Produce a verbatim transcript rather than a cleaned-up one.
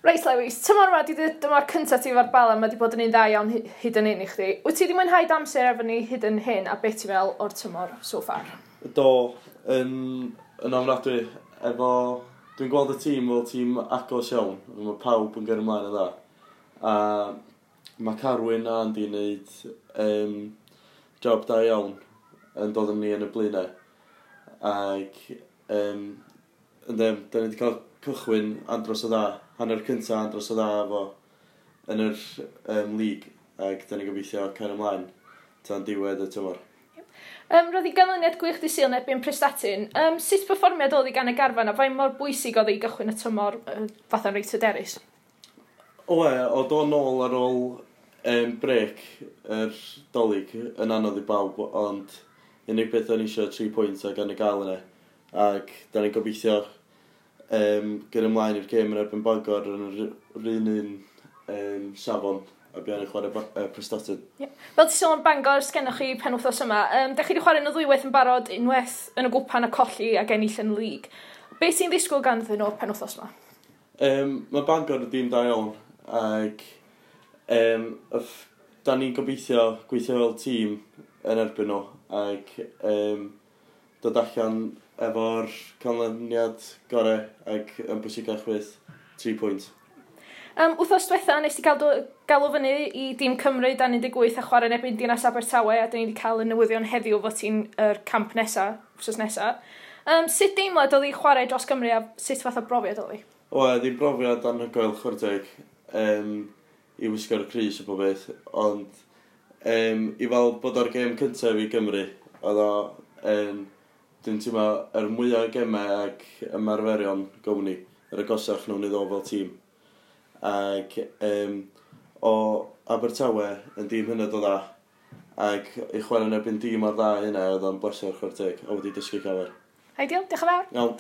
Reit, Lewis, tymor yma, di dyma'r cyntaf ti efo'r Bala, mae di bod yn un dda iawn hyd yn hyn i chdi. Wyt ti wedi mwynhau amser efo ni hyd yn hyn, a beth ti'n fel o'r tymor so far? Do, yn, yn ofnadwy. Efo, dwi'n gweld y tîm fel tîm agos iawn. Mae pawb yn gyrru ymlaen yn dda. A mae Carwyn a Andy yn gwneud um, job da iawn yn dod yn ni yn y blaenau. Ac um, ynddo, da ni wedi cael cychwyn andros o dda, hanner cynta andros o dda efo yn yr um, league, ac da ni'n gobeithio cael ymlaen tan diwedd y tymor. Um, roedd i ganlyniad gwych di Sul yn erbyn Prestatyn. Um, sut perfformiad oedd i gan y garfan a faint mor bwysig oedd i gychwyn y tymor uh, fatha'n reit hyderus? Oe, o do nôl ar ôl um, brec yr Dolig yn anodd i bawb, ond unig beth o'n eisiau tri pwynt ac yn y gael yna. Ac da ni'n gobeithio um, gyrru ymlaen i'r gêm yn erbyn Bangor yn yr yr un un um, safon a buan i chwarae uh, Prestatyn. Yeah. Fel ti sôn am Bangor, sgennoch chi penwythnos yma, um, da chi wedi chwarae nhw ddwywaith yn barod, unwaith yn y gwpan a colli ac ennill yn y lig. Be ti'n ddisgwyl ganddyn nhw penwythnos yma? Um, mae Bangor yn dîm da iawn ac um, yff, da ni'n gobeithio gweithio fel tîm yn erbyn nhw ac um, dod allan efo'r canlyniad gorau ac yn bwysicach fyth tri pwynt. Um, wythnos diwetha, nes ti gael do- galw fyny i dîm Cymru dan un deg wyth a chwarae yn erbyn Dinas Abertawe, a dyn ni wedi cael y newyddion heddiw fod ti'n yr camp nesa, wsos nesa. Um, sut deimlad oedd i chwarae dros Gymru a sut fath o brofiad oedd hi? O, ddim brofiad anhygoel, chwarae teg, um, i wisgo'r crys o bob beth, ond um, i fel bod o'r gêm cyntaf i Gymru, oedd o, um, dwi'n teimlo yr mwyaf o gemau ac ymarferion gown ni, yr agosach nhw'n i ddod fel tîm. Ac um, o Abertawe yn dîm hynod o dda, ac i chwarae yn erbyn dîm o'r dda hynna, oedd o'n bleser, chwarae teg, a wedi dysgu llawer. Ideal, diolch yn fawr. Iawn.